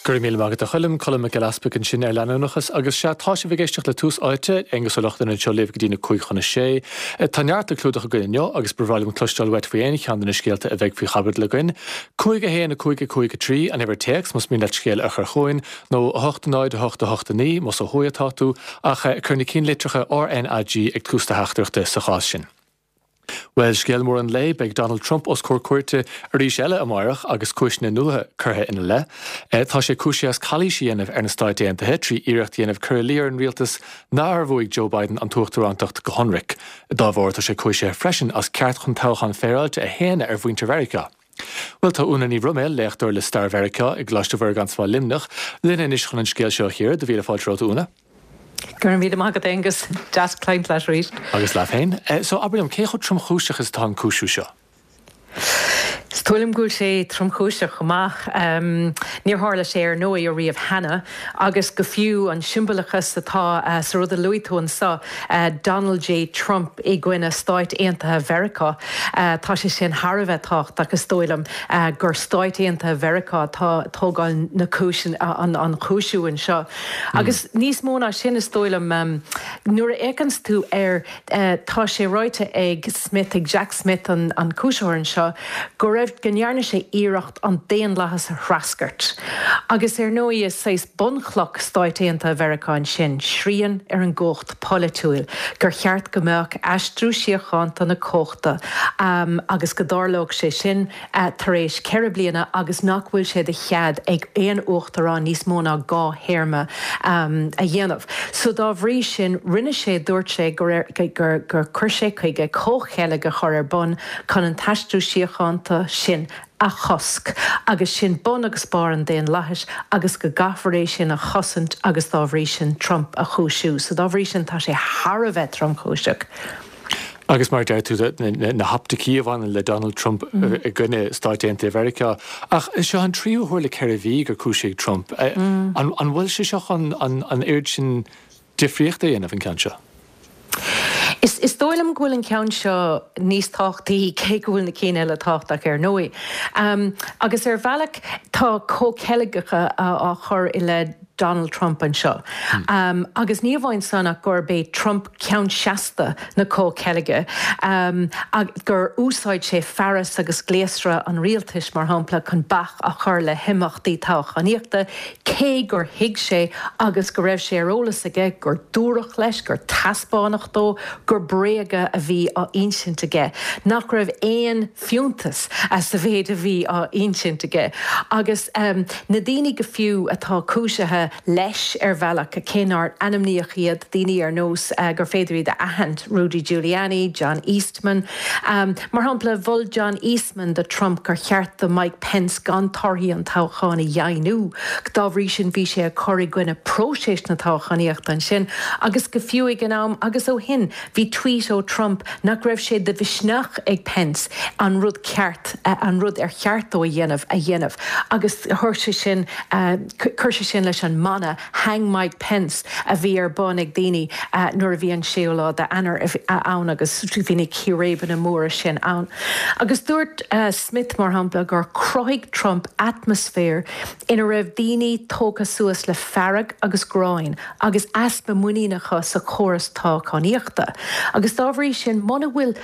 Go raibh míle maith agat a Choilm, Colm Mac Giolla Easpaig ansin ar leanúnachas agus sea, tá sibh ag éisteacht le Tús Áite, Aonghus Ó Lochlainn anseo libh go dtí na 5 chun a 6. Tá neart le clúdach againn inniu agus ba bhreá liom cloisteáil uait faoi aon cheann de na scéalta a bheidh faoi chaibidil againn. 5 1 5 5 3 an uimhir téacs más mian leat scéal a chur chugainn, nó 8 0 8 8 9 más ó thuaidh atá tú, ach cuir na cinnlitreacha RnaG ag tús do theachtaireachta sa chás sin. Bhuel, scéal mór an lae, beidh Donald Trump os comhair cúirte arís eile amáireach agus cúiseanna nua curtha ina leith. Tá sé cúisithe as calaois a dhéanamh ar na Stáit Aontaithe trí iarracht a dhéanamh cur i luí ar an rialtas nár bhuaigh Joe Biden an t-uachtarántacht go hionraic. Dá bharr, tá sé cúisithe freisin as ceart chun toghchán féaráilte a shéanadh ar mhuintir Mheiriceá. Bhuel, tá Úna Ní Bhroiméil, léachtóir le Stair Mheiriceá i gColáiste Mhuire gan Smál Luimneach, linn anois chun an scéal seo a chíoradh. Do mhíle fáilte romhat, a Úna. Go raibh míle maith agat, Aonghus. Deas caint leat arís. Agus leat féin. So, abair liom, cé chomh tromchúiseach is atá an cúisiú seo? Is dóigh liom go bhfuil sé tromchúiseach go maith. Níor tharla sé ar ndóigh ariamh cheana agus go fiú an siombalachas atá sa rud a luaigh tú anso, Donald J Trump i gcoinne Stáit Aontaithe Mheiriceá, tá sé sin thar a bheith tábhachtach is dóigh liom gur Stáit Aontaithe Mheiriceá atá ag tógáil na cúis, an chúisiú anseo. Agus níos mó ná sin, is dóigh liom, nuair a fhéachanns tú air, tá sé ráite ag Smith, ag Jack Smith, an cúisitheoir anseo, go raibh, go ndearna sé iarracht an daonlathas a threascairt. Agus ar ndóigh, is saghas bunchloch Stáit Aontaithe Mheiriceá ansin, srian ar an gcumhacht pholaitiúil, gur cheart go mbeadh aistriú síochánta na cumhachta agus go dtarlódh sé sin, tar éis 4 bliana agus nach bhfuil sé de chead ag aon uachtarán níos mó ná 2 théarma a dhéanamh. So dá bhrí sin, rinne sé, dúirt sé gur gur chuir sé chuige comhcheilg a chur ar bun chun an t-aistriú síochánta sin a chosc agus sin bun agus barr an daonlathais agus go gcaithfear é sin a chosaint agus dá bhrí sin Trump a chúisiú. So dá bhrí sin tá sé thar a bheith tromchúiseach. Agus mar a deir tú, na hoptaicí a bhaineann le Donald Trump i gcoinne Stáit Aontaithe Mheiriceá. Ach seo an tríú huair le 4 mhí gur cúisíodh Trump. An bhfuil sé seo chun an oiread sin difríochta a dhéanamh, an ceann seo? Is dóigh liom go bhfuil an ceann seo níos tábhachtaí, cé go bhfuil na cinn eile tábhachtach ar ndóigh. Agus ar bhealach tá comhcheilgeacha á chur i leith Donald Trump anseo. Agus ní amháin san ach gurb é Trump ceann seasta na comhcheilge, gur úsáid sé fearas agus gléasra an rialtais, mar shampla, chun bac a chur le himeachtaí toghchánaíochta, cé gur thuig sé agus go raibh sé ar eolas aige gur dúradh leis, gur taispeánadh dó gur bréaga a bhí á insint aige, nach raibh aon fiúntas sa mhéid a bhí á insint aige. Agus na daoine go fiú atá cúisithe leis ar bhealach, cé nár ainmníodh iad, daoine ar nós gur féidir iad a aithint, Rudy Giuliani, John Eastman. Mar shampla, mhol John Eastman do Trump gur cheart do Mike Pence gan torthaí an toghcháin a dheimhniú. Dá bhrí sin bhí sé ag cur i gcoinne próiseas na toghchánaíochta ansin agus go fiú ag an am agus ó shin bhí tweet ó Trump nach raibh sé de mhisneach ag Pence an rud ceart, an rud ar cheart dó a dhéanamh, a dhéanamh agus chuir sé sin, chuir sé sin leis an mana 'Hang Mike Pence' a bhí ar bun ag daoine nuair a bhí an séú lá d'Eanáir ann agus bhí na círéibeanna móra sin ann. Agus dúirt Smith, mar shampla, gur chruthaigh Trump atmaisféar ina raibh daoine tógtha suas le fearg agus gráin agus easpa muiníne acu sa chóras toghchánaíochta. Agus dá bhrí sin, muna bhfuil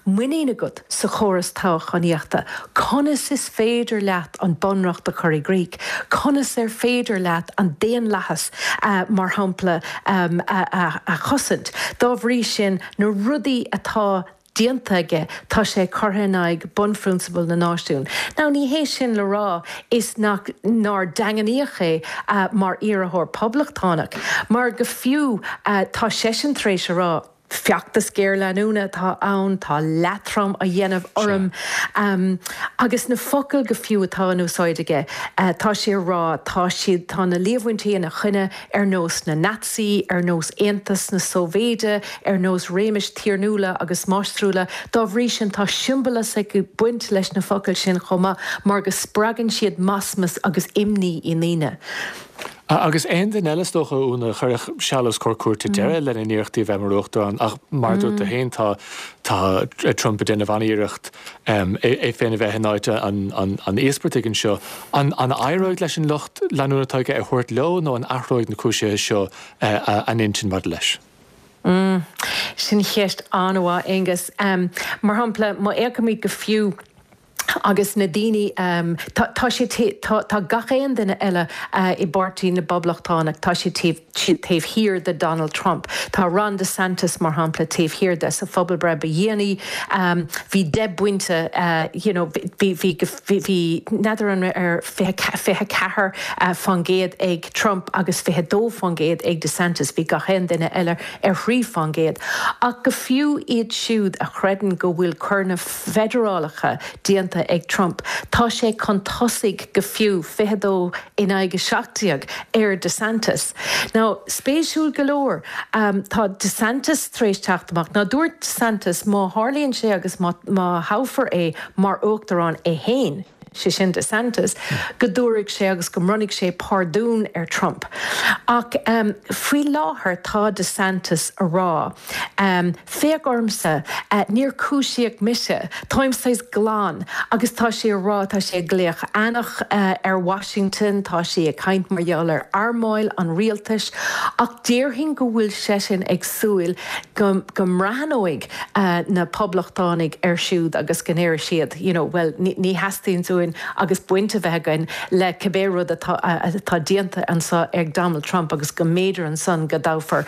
muinín agat sa chóras toghchánaíochta, conas is féidir leat an bunreacht a chur i gcrích? Conas ar féidir leat an daonlathas, mar shampla, a chosaint? Dá bhrí sin, na rudaí atá déanta aige, tá sé curtha in aghaidh bunphrionsabail na náisiún. Now, ní hé sin le rá is nach, nár daingníodh é mar iarrthóir poblachtánach, mar go fiú tá seisean tar éis a rá, feachtas géarleanúna atá ann, tá leatrom á dhéanamh orm. Agus na focail go fiú atá in úsáid aige, tá sé a rá, tá siad, tá na líomhaintí ina choinne ar nós na Naitsí, ar nós Aontas na Sóivéide, ar nós réimis tiarnúla agus máistriúla. Dá bhrí sin, tá siombalachas ag baint leis na focail sin chomh maith mar go spreagann siad masmas agus imní i ndaoine. Agus aon duine eile is dócha, a Úna, a chuirfeadh seal os comhair cúirte deireadh lena n-iarrachtaí a bheith mar uachtarán ach mar a dúirt tú féin tá tá Trump ag déanamh an-iarracht é féin a bheith in áit an íospartaigh anseo. An éireoidh leis an lucht leanúna atá aige a thabhairt leo nó an athróidh na cúisithe seo a n-intinn maidir leis? Sin ceist an-mhaith, Aonghus. Mar shampla, má fhéachaimid go fiú agus na daoine, tá, tá sé, tá, tá gach aon duine eile i bPáirtí na bPoblachtánach, tá siad taobh, siad taobh thiar de Donald Trump. Tá Ron DeSantis, mar shampla, taobh thiar de. Sa phobalbhreith ba dhéanaí, bhí deich bpointe, you know, bhí, bhí, bhí, bhí, n'fheadar an raibh ar 24 fán gcéad ag Trump agus 22 fán gcéad ag DeSantis, bhí gach aon duine eile ar thrí fán gcéad. Ach go fiú iad siúd a chreideann go bhfuil coireanna feidearálacha déanta ag Trump, tá sé chun tosaigh go fiú, 22 in aghaidh 17, ar DeSantis. Now, spéisiúil go leor, tá DeSantis tar éis teacht amach, now dúirt DeSantis má tharlaíonn sé agus má thoghfar é mar uachtarán é féin, sé sin DeSantis, go dtabharfaidh sé agus go mbronnfaidh sé pardún ar Trump. Ach faoi láthair tá DeSantis a rá, féach ormsa, níor cúisíodh mise, táim saghas glan agus tá sé a rá, tá sé ag glaoch eanach ar Washington, tá sé ag caint mar gheall ar armáil an rialtais ach déarfainn go bhfuil seisean ag súil go go mbreathnóidh na Poblachtánaigh air siúd agus go ndéarfaidh siad, you know, bhuel, ní theastaíonn uainn agus baint a bheith againn le cibé rud atá atá déanta anseo ag Donald Trump agus go mb'fhéidir ansan go dtoghfar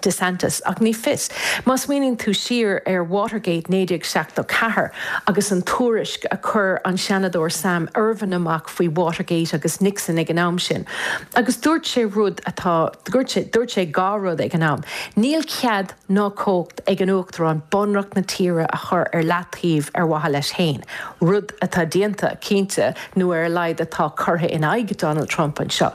DeSantis. Ach ní fios. Má smaoiníonn tú siar ar Watergate 1974 agus an tuairisc a chuir an Seanadóir Sam Ervin amach faoi Watergate agus Nixon ag an am sin agus dúirt sé rud atá, dúirt sé, dúirt sé dhá rud ag an am, níl cead ná cumhacht ag an Uachtarán bunreacht na tíre a chur ar leataobh ar mhaithe leis féin, rud atá déanta, cinnte, nó ar a laghad atá curtha in aghaidh Donald Trump anseo.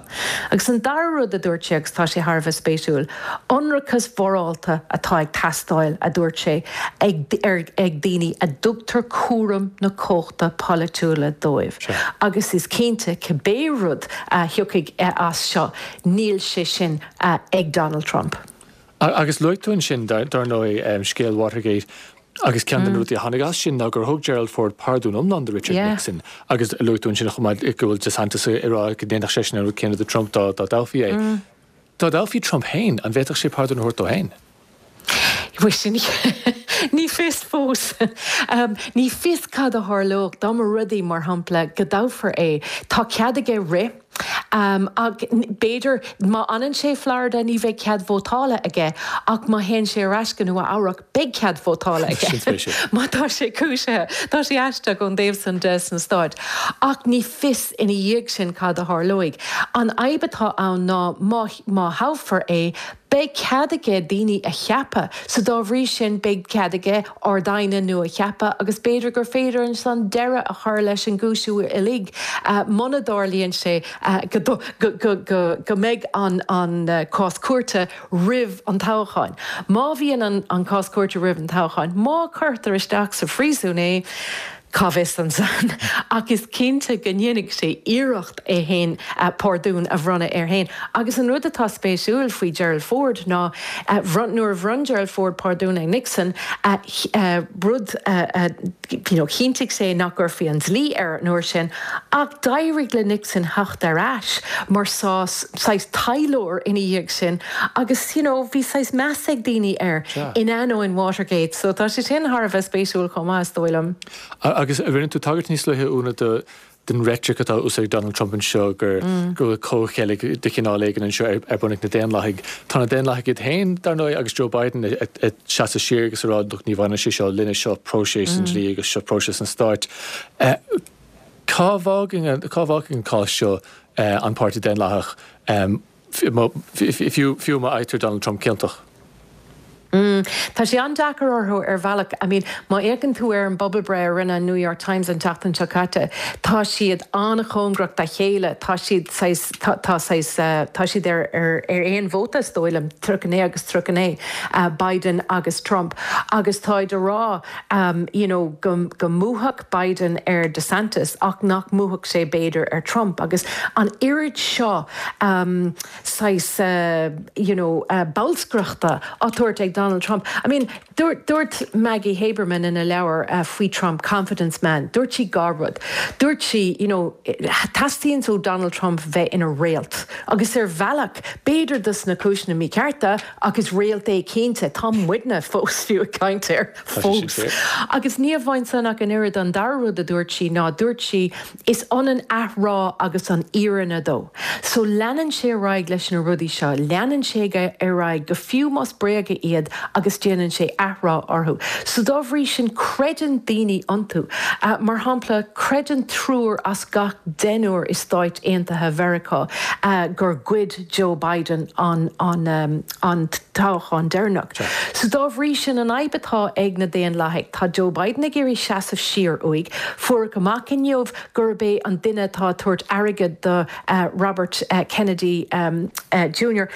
Agus an dara rud a dúirt sé, agus tá sé thar a bheith spéisiúil, ionracas mhorálta atá ag teastáil, a dúirt sé, ag ag daoine a dtugtar cúram na cumhachta polaitiúla dóibh. Agus is cinnte, cibé rud a thiocfaidh as seo, níl sé sin ag Donald Trump. Agus luaigh tú ansin, dar ndóigh, scéal Watergate agus ceann de na rudaí a tháinig as sin ná gur thug Gerald Ford pardún iomlán do Richard Nixon agus luaigh tú ansin chomh maith go bhfuil DeSantis ag rá go ndéanfadh seisean an rud céanna do Trump dá dtoghfaí é. Dá dtoghfaí Trump féin, an bhféadfadh sé pardún a thabhairt dó féin? Bhuel, sin, ní fios fós. Ní fios cad a tharlódh dá mba rud é, mar shampla, go dtoghfar é. Tá cead aige rith. Ach b'fhéidir, má fhanann sé i Florida ní bheidh cead vótála aige, ach má théann sé ar ais go Nua Eabhrac beidh cead vótála aige. Má tá sé cúisithe. Tá sé aisteach ón dtaobh san de sna Stáit. Ach ní fios ina dhiaidh sin cad a tharlóidh. An fhadhb atá ann ná má má thoghfar é, beidh cead aige daoine a cheapadh, so dá bhrí sin beidh cead aige Ard-Aighne nua a cheapadh agus b'fhéidir gur féidir ansan deireadh a chur leis an gcúisiú uilig muna dtarlaíonn sé go go mbeidh an cás cúirte roimh an toghchán. Má bhíonn an cás cúirte roimh an toghchán, má cuirtear isteach sa phríosún é, Cá bhfios ansan, ach is cinnte go ndéanfaidh sé iarracht é fhéin pardún a bhronnadh air fhéin. Agus an rud atá spéisiúil faoi Gerald Ford ná, nuair a bhronn Gerald Ford pardún ar Nixon, rud a, you know, chinntigh sé nach gcuirfí an dlí air an uair sin, ach d'éirigh le Nixon theacht ar ais mar saghas taidhleoir ina dhiaidh sin agus, you know, bhí saghas meas ag daoine air in ainneoin Watergate. So tá sé sin thar a bheith spéisiúil chomh maith, is dóigh liom. Agus rinne tú tagairt níos luaithe, Úna, do den reitric atá á úsáid ag Donald Trump anseo gur go bhfuil comhcheilg de chineál éigin anseo ar ar bun ag na Daonlathaigh. Tá na Daonlathaigh iad féin, dar ndóigh, agus Joe Biden ag seasamh siar agus ag rá look ní bhaineann sé seo linne, seo próiseas an dlí agus seo próiseas an stáit. Cá bhfágann cá bhfágfaidh an cás seo an Páirtí Daonlathach, fiú má fhaightear Donald Trump ciontach? Mm. Tá sé an-deacair orthu ar bhealach. I mean, má fhéachann tú ar an bpobalbhreith a rinne an New York Times an tseachtain seo caite, tá siad an-chóngarach dá chéile. Tá siad saghas, tá, tá saghas, tá siad ar, ar, ar aon vóta is dóigh liom, 39 agus 39, Biden agus Trump. Agus táid a rá, you know, go, go mbuafadh Biden ar DeSantis ach nach mbuafadh sé b'fhéidir ar Trump. Agus an oiread seo, saghas you know bolscaireachta á tabhairt ag Donald Trump. I mean dúirt dúirt Maggie Haberman ina leabhar faoi Trump, Confidence Man, dúirt sí dhá rud. Dúirt sí you know teastaíonn ó Donald Trump bheith ina réalt agus ar bhealach b'fhéidir dos na cúiseanna míchearta ach is réalt é cinnte. Tá muidne fós fiú ag caint air fós. Agus ní amháin san ach an oiread an dara rud a dúirt sí ná dúirt sí Is ionann athrá agus an fhírinne dó. So leanann sé ar aghaidh leis na rudaí seo, leanann sé ar aghaidh go fiú más bréaga iad agus déanann sé athrá orthu. So dá bhrí sin creideann daoine iontu. Mar shampla, creideann triúr as gach deichniúr i Stáit Aontaithe Mheiriceá gur ghoid Joe Biden an an an toghchán deireanach. So dá bhrí sin an fhadhb atá ag na Daonlathaigh, tá Joe Biden ag iarraidh seasamh siar uaidh. Fuaireadh amach inniu gurb é an duine atá ag tabhairt airgead do Robert Kennedy Junior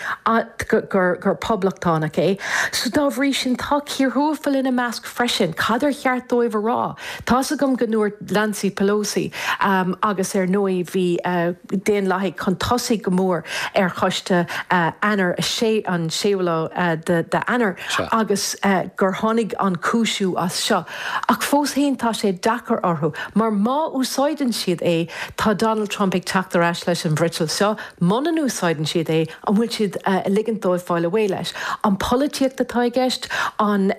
gur poblachtánach é. So dá bhrí sin tá cíor thuathail ina measc freisin. Cad ar cheart dóibh a rá? Tá's agam go ndúirt Nancy Pelosi agus ar ndóigh bhí Daonlathaigh chun tosaigh go mór ar choiste Eanáir 6, an séú lá d'Eanáir agus gur tháinig an cúisiú as seo. Ach fós féin tá sé deacair orthu mar má úsáideann siad é tá Donald Trump ag teacht ar ais leis an bhfriotal seo, muna n-úsáideann siad é an bhfuil siad ag ligint dóibh fáil away leis? An polaitíocht atá i gceist? An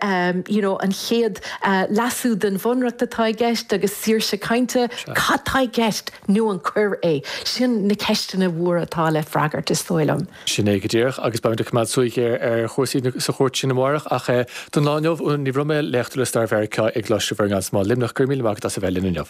you know an chéad leasú den bhunreacht atá i gceist agus saoirse cainte? Cad tá i gceist? Nó an coir é? Sin na ceisteanna mhóra atá le freagairt is dóigh liom. Sin é go díreach, agus beimid ag coimeád súil ghéar ar chúrsaí sa chúirt sin amárach. Ach don lá inniu, Úna Ní Bhroiméil, léachtóir le Stair Mheiriceá i gColáiste Mhuire gan Smál, Luimneach, go raibh míle maith agat as a bheith linn inniu.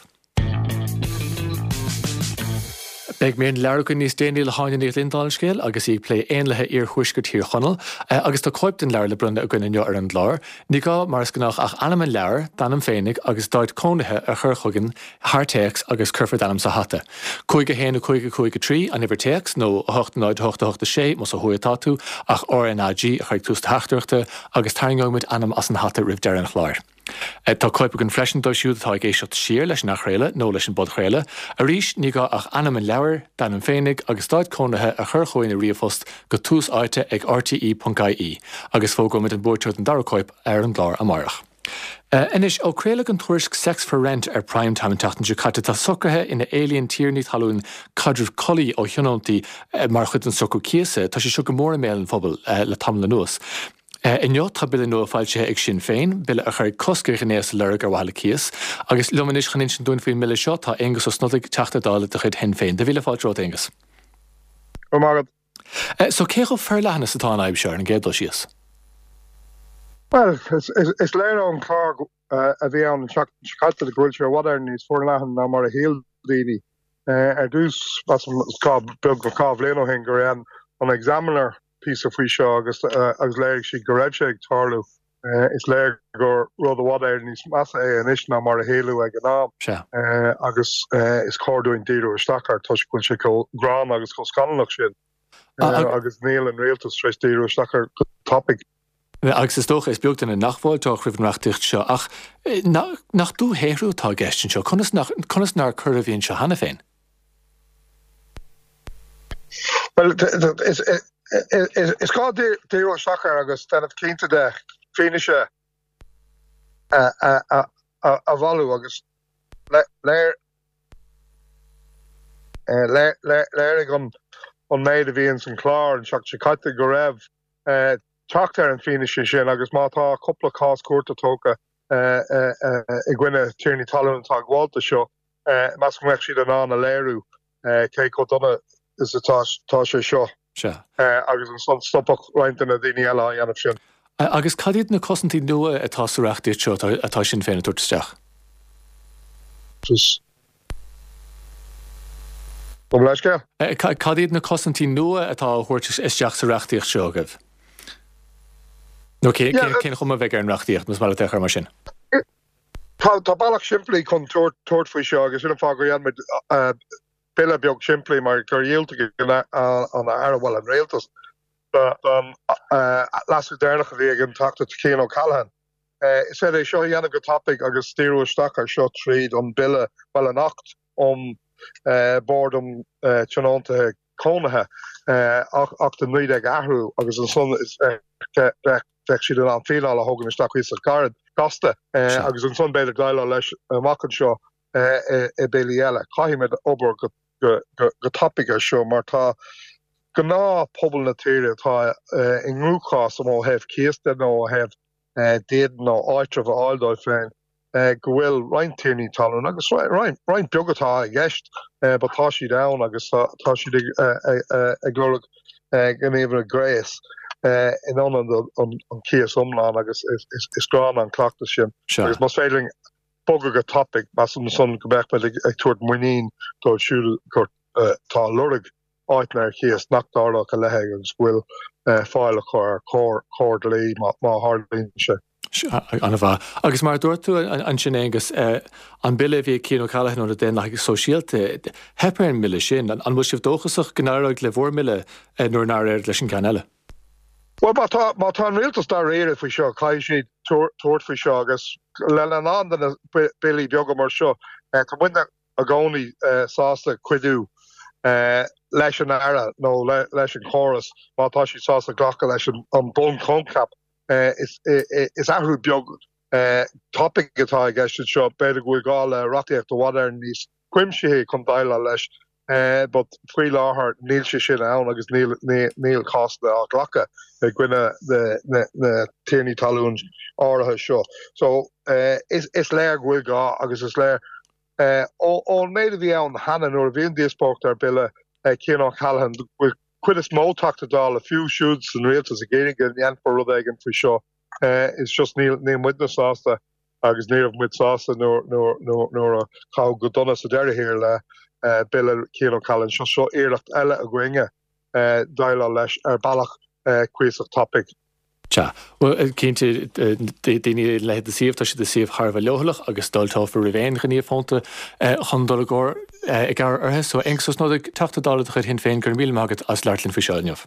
Beidh mír na leabhar againn níos déanaí le hÁine Ní Ghlinn, dála an scéil, agus í ag plé éanlaithe iarthuaisceart Thír Chonaill. Agus tá cóip den leabhar le bronnadh againn inniu ar an gclár. Ní gá, mar is gnách, ach ainm an leabhair, d'ainm féinig agus d'áit cónaithe a chur chugainn thar téacs agus cuirfear d'ainm sa hata. 5 1 5 5 3 an uimhir téacs, nó 8 0 8 8 6 más ó thuaidh atá tú, ach RnaG a chur ag tús do theachtaireachta agus tarraingeoidh muid ainm as an hata roimh deireadh an chláir. Tá cóip againn freisin dóibh siúd atá ag éisteacht siar leis an athchraoladh nó leis an bpodchraoladh. Arís, ní gá ach ainm an leabhair, d'ainm féinig agus d'áit cónaithe a chur chugainn i ríomhphost go tús áite ag rte.ie agus fógróimid an buaiteoir don dara cóip ar an gclár amárach. Anois, ó craoladh an tuairisc Sex for Rent ar Prime Time an tseachtain seo caite, tá socruithe ina éilíonn tiarnaí talún caidreamh collaí ó thionóntaí mar chuid den socrú cíosa, tá sé seo go mór i mbéal an phobail le tamall anuas. Inniu tá bille nua foilsithe ag Sinn Féin, bille a chuirfidh cosc ar ghnéas a lorg ar mhaithe le cíos. Agus liom anois chun insint dúinn faoin mbille seo tá Aengus Ó Snodaigh, Teachta Dála de chuid Shinn Féin. Do mhíle fáilte romhat, Aengus. Go raibh maith agat. So cé chomh forleathan is atá an fhadhb seo ar an gcéad dul síos? Bhuel, is léir ón chlár a bhí ann an tseachtain seo caite go bhfuil sé i bhfad Éireann níos forleathan ná mar a shíl daoine. Ar dtús, measaim, beagnach 2 bhliain ó shin go raibh an Examiner píosa faoi seo agus agus léirigh siad go raibh sé ag tarlú. Is léir gur rud i bhfad Éireann níos measa é anois ná mar a shíleadh ag an am agus is cóir dúinn díriú isteach air toisc go bhfuil sé chomh gránna agus chomh scannalach sin agus níl an rialtas tar éis díriú isteach air go tapaidh. Agus is dócha, is beag duine nach bhfáilteodh roimh an reachtaíocht seo ach nach dúshaothrú atá i gceist anseo? Conas nach, conas nár coir a bhí anseo cheana féin? Bhuel, is gá díriú isteach air agus déanamh cinnte de fianaise a bhailiú agus léirigh an méid a bhí ins an chlár an tseachtain seo caite go raibh teacht ar an bhfianaise sin agus má tá cúpla cás cúirte tógtha i gcoinne tiarnaí talún atá ag gabháil do seo, measaim go mbeadh siad in ann a léiriú cé chomh dona is atá sé seo agus ansan stopfadh roinnt de na daoine eile á dhéanamh sin. Agus cad iad na cosaintí nua atá sa reachtaíocht seo atá Sinn Féin ag tabhairt isteach? Gabh mo leithscéal. Cad iad na cosaintí nua atá á thabhairt isteach sa reachtaíocht seo agaibh? Nó cén chuma a bheidh ar an reachtaíocht, más maith leat é a chur mar sin? Tá bealach simplí chun tabhairt faoi seo agus sin an fáth gur dhein muid bille beag simplí mar gur dhiúltaigh an Aire, bhuel an Rialtas, don leasú deireanach a bhí ag an Teachta Cian O'Callaghan. Is féidir é seo a dhéanamh go tapaidh agus díriú isteach air seo tríd an bille, bhuel an Acht um Bord um Tionóntaithe Cónaithe, Acht 19 a athrú agus ansan bheadh siad in ann fíneáil a thógaint isteach cuíosach gairid, gasta agus ansan b'fhéidir déileáil leis amach anseo i billí eile. Caithfimid obair go tapaidh ar seo mar tá gnáthphobal na tíre atá i gcruachás ó thaobh cíos de nó ó thaobh dídean nó áitreabh a fháil dóibh féin, go bhfuil roinnt tiarnaí talún, agus roinnt beag atá i gceist, but tá siad ann agus tá siad ag lorg gníomhanna gréis in ionad an cíos iomlán agus is gránna an cleachtas sin. Agus más féidir linn bogadh go tapaidh, measaim ansan go mbeadh muid ag tabhairt muinín dóibh siúd atá ag lorg áiteanna ar cíos nach dtarlódh a leithéid agus go bhfuil fáil acu ar chóir dlí má tharlaíonn sé. An-mhaith. Agus mar a dúirt tú ansin, Aengus, an bille a bhí ag Cian O'Callaghan ó na Daonlathaigh Sóisialta, theip ar an mbille sin. An bhfuil sibh dóchasach go n-éireoidh le bhur mbille nuair nár éirigh leis an gceann eile? Bhuel, má tá, má tá an rialtas dáiríre faoi seo, caithfidh siad tabhairt faoi seo agus lena lán de na billí beaga mar seo, tá muidne i gcónaí sásta cuidiú leis an Aire nó leis an chóras má tá siad sásta glacadh leis an bunchoincheap. Is athrú beag tapaidh atá i gceist anseo. B'fhéidir go bhfuil gá le reachtaíocht i bhfad Éireann níos cuimsithí chun déileáil leis but faoi láthair níl sé sin ann agus níl cásanna á ghlacadh i gcoinne na tiarnaí talún áirithe seo. So is léir go bhfuil gá agus is léir Ón méid a bhí ann cheana nuair a bhí an díospóireacht ar bhille Cian O'Callaghan, go bhfuil cuid is mó Teachta Dála, fiú siúd san rialtas, ag iarraidh go ndéanfar rud éigin faoi seo. It's just níl muidne sásta agus ní raibh muid sásta nuair a caitheadh go dona sa deireadh thiar le bille Cian O'Callaghan. Seo seo iarracht eile againne déileáil leis ar bealach cuíosach tapaidh. Sea. Bhuel, cinnte, daoine ina leithéid de suíomh, tá siad i suíomh thar a bheith leochaileach agus d'fháilteofar roimh aon ghníomh fónta chun dul i gcomhair i gcabhair orthu. So, Aengus Ó Snodaigh, Teachta Dála de chuid Shinn Féin, go raibh míle maith agat as labhairt linn faoi seo inniu.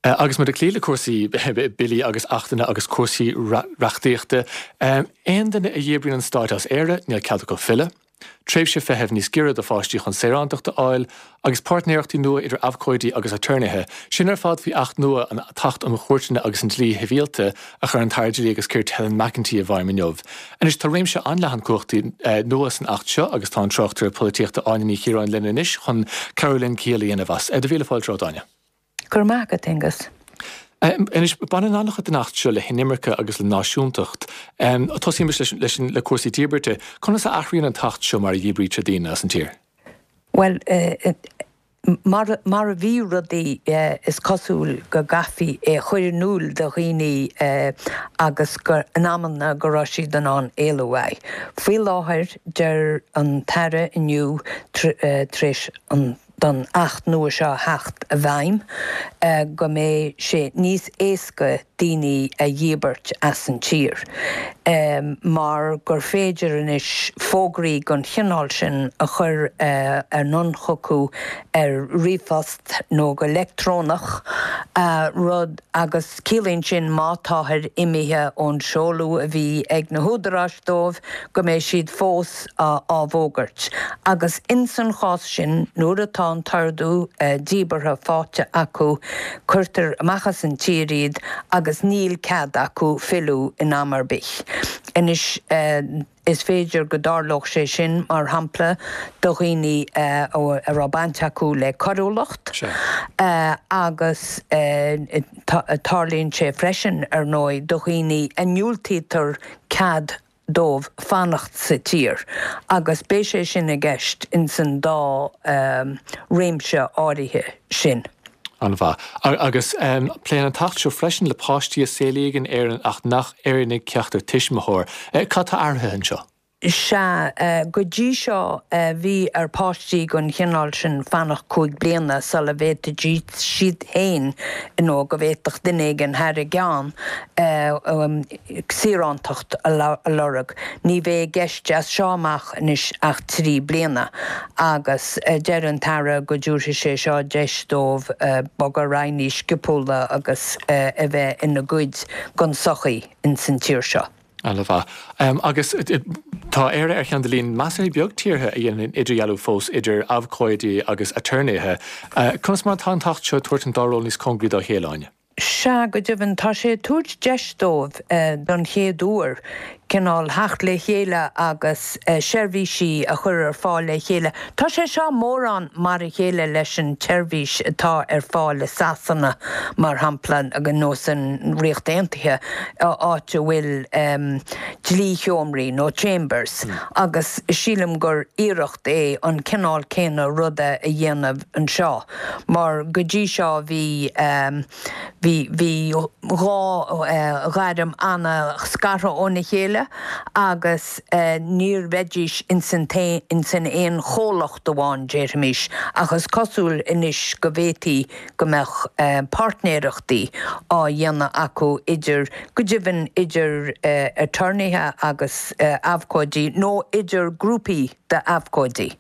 Agus muid ag cloí le cúrsaí billí agus achtanna agus cúrsaí reachtaíochta, aon duine a dhíbríonn an Stát as Éire, níl cead acu filleadh. tréimhse feithimh níos giorra do pháistí chun saorántacht a fháil, agus páirtnéireachtaí nua idir abhcóidí agus aturnaetha, sin ar fad faoi Acht nua, an tAcht um Chúirteanna agus an Dlí Shibhialta, a chuir an tAire Dlí agus Cirt Helen McEntee i bhfeidhm inniu. Anois, tá réimse an-leathan cumhachtaí nua san Acht seo agus tá an tráchtaire polaitíochta Áine Ní Chiaráin linn anois chun cabhrú linn ciall a dhéanamh as. Do mhíle fáilte romhat, Áine. Go raibh maith agat, Aengus. Anois, baineann an-chuid den Acht seo le hinimirce agus le náisiúntacht. Tosaímis leis le cúrsaí díbirte. Conas a athraíonn an tAcht seo mar a dhíbrítear daoine as an tír? Bhuel, mar a bhí rudaí, is cosúil go gcaithfí é a chur in iúl do dhaoine agus go, in amanna, go raibh siad in ann éalú uaidh. Faoi láthair, deir an tAire inniu, tar éis an. don Acht nua seo a theacht i bhfeidhm, go mbeidh sé níos éasca daoine a dhíbirt as an tír, mar gur féidir anois fógraí den chineál sin a chur anonn chucu ar ríomhphost nó go leictreonach, rud, agus ciallaíonn sin má táthar imithe ón seoladh a bhí ag na húdaráis dóibh, go mbeidh siad fós á bhfógairt, agus ins an chás sin, nuair atá an t-ordú díbeartha faighte acu, cuirtear amach as an tír iad agus níl cead acu filleadh in am ar bith. Anois, is féidir go dtarlódh sé sin, mar shampla, do dhaoine a raibh baint acu le coiriúlacht, agus tarlaíonn sé freisin, ar ndóigh, do dhaoine a ndiúltaítear cead dóibh fanacht sa tír agus beidh sé sin i gceist ins an dá réimse áirithe sin. An-mhaith. Agus pléann an tAcht seo freisin le páistí a saolaíodh in Éirinn ach nach Éireannaigh ceachtar tuismitheoir. Cad tá athraithe anseo? Sea, go dtí seo bhí ar pháistí den chineál sin fanacht 5 bliana sula bhféadfaidís siad féin nó go bhféadfadh duine éigin thar a gceann saorántacht a lorg. Ní bheidh i gceist as seo amach anois ach 3 bliana agus deir an tAire go dtabharfaidh sé seo deis dóibh bogadh ar aghaidh níos sciopúla agus a bheith ina gcuid den tsochaí ins an tír seo. Ana-mhaith. Agus tá Éire ar cheann de líon measartha beag tíortha a dhéanann idirdhealú fós idir abhcóidí agus aturnaetha. Conas mar atá an tAcht seo ag tabhairt an dá ról níos cóngaraí dá chéile, Áine? Sea, go deimhin, tá sé ag tabhairt deis dóibh, don chéad uair, cineál theacht le chéile agus seirbhísí a chur ar fáil le chéile. Tá sé seo mórán mar a chéile leis an tseirbhís atá ar fáil i Sasana, mar shampla, nó san Ríocht Aontaithe, áit a bhfuil dlísheomraí nó chambers, agus sílim gur iarracht é an cineál céanna ruda a dhéanamh anseo, mar go dtí seo bhí, bhí, bhí dhá ghairm ana-scartha óna chéile agus níor bheidís ins an ins an aon chomhlacht amháin, déarfaimis, ach is cosúil anois go bhféadfaí go mbeadh páirtnéireachtaí á dhéanamh acu idir, go deimhin idir aturnaetha agus abhcóidí nó idir grúpaí d'abhcóidí.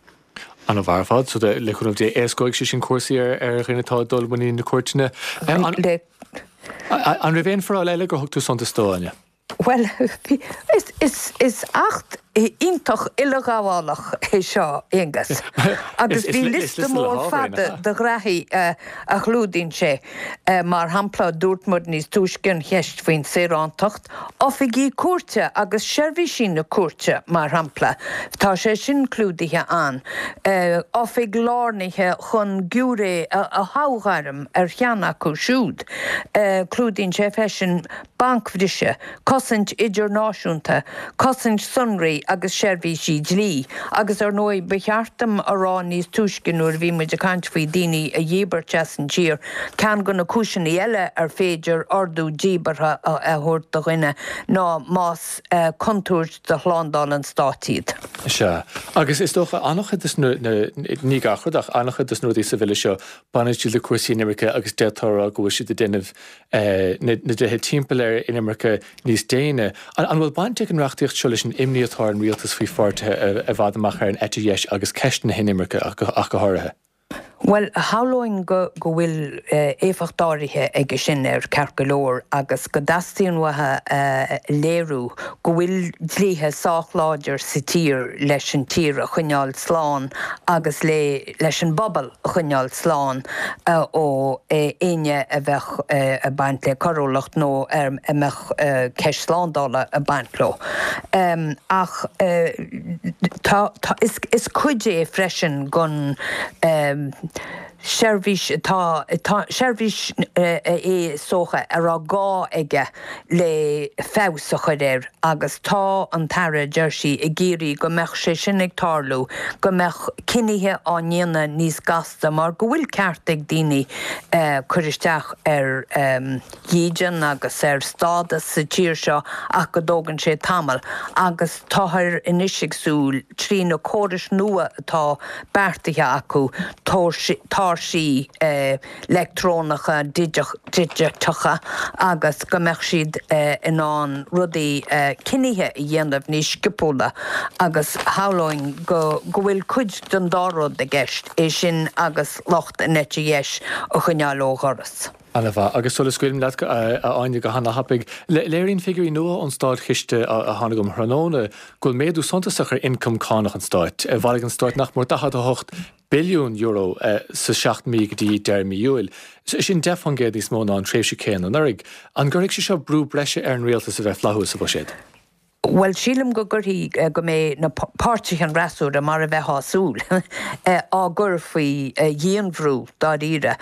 Ana-mhaith ar fad. So, le cúnamh Dé, éascóidh sé sin cúrsaí ar dhaoine atá ag dul i muinín na cúirteanna. An raibh aon foráil eile gur thug tú suntas dó, Áine? Bhuel, is acht iontach uileghabhálach é seo, Aonghus, agus bhí liosta mór fada de ghraithí a chlúdaíonn sé. Mar shampla, dúirt muid níos túisce an cheist faoin saorántacht, oifigí cúirte agus seirbhísí na cúirte, mar shampla, tá sé sin clúdaithe ann, oifig lárnaithe chun giúiré a thoghairm ar cheann acu siúd. Clúdaíonn sé freisin bancbhriseadh, cosaint idirnáisiúnta, cosaint sonraí agus seirbhísí dlí. Agus ar ndóigh, ba cheart dom a rá níos túisce nuair a bhí muid ag caint faoi daoine a dhíbirt as an tír, ceann de na cúiseanna eile ar féidir ordú díbeartha a thabhairt do dhuine ná más contúirt do shlándáil an stáit iad. Sea. Agus is dócha, an-chuid de na, ní gach rud ach an-chuid de na rudaí sa bhille seo, baineann siad le cúrsaí inimirce agus d'fhéadfá a rá go bhfuil siad ag déanamh na dlíthe timpeall ar inimirce níos déine. An bhfuil baint ag an reachtaíocht seo leis an imní atá ar an rialtas faoi pháirtithe i bhfad amach ar an eite dheis agus ceist na hinimirce ach go háirithe? Bhuel, shamhlóinn go go bhfuil éifeacht áirithe aige sin air, ceart go leor, agus go dteastaíonn uathu a léiriú go bhfuil dlíthe sách láidir sa tír leis an tír a choinneáil slán agus le leis an bpobal a choinneáil slán ó éinne a bheadh ag baint le coiriúlacht nó a mbeadh ceist slándála ag baint leo. Ach tá, tá, is cuid é freisin den seirbhís atá, tá, seirbhís é is dócha a raibh gá aige le feabhas a chur air agus tá an tAire, deir sí, ag iarraidh go mbeadh sé sin ag tarlú, go mbeadh cinnithe á ndéanamh níos gasta mar go bhfuil ceart ag daoine cur isteach ar dhídean agus ar stádas sa tír seo ach go dtógann sé tamall agus táthar anois ag súil, trí na córais nua atá beartaithe acu, tairsí leictreonacha digiteacha agus go mbeadh siad in ann rudaí, cinnithe a dhéanamh níos sciopúla agus shamhlóinn go bhfuil cuid den dá rud i gceist, é sin agus lucht an eite dheis a choinneáil ó dhoras. Ana-mhaith. Agus sula scaoilim leat, a Áine, go hana-thapaidh, léiríonn figiúirí nua ón Státchiste a tháinig um thráthnóna go bhfuil méadú suntasach ar ioncam cánach an stáit. Bhailigh an stát nach mór €48 billiún sa seacht mí go dtí deireadh mí Iúil. Sin 10% níos mó ná an tréimhse céanna anuraidh. An gcuirfidh sé seo brú breise ar an rialtas a bheith flaithiúil sa bhuiséad? Bhuel, sílim go gcuirfidh, go mbeidh na páirtithe an fhreasúra, mar a bheifeá ag súil, á gcur faoi dhianbhrú, dáiríre,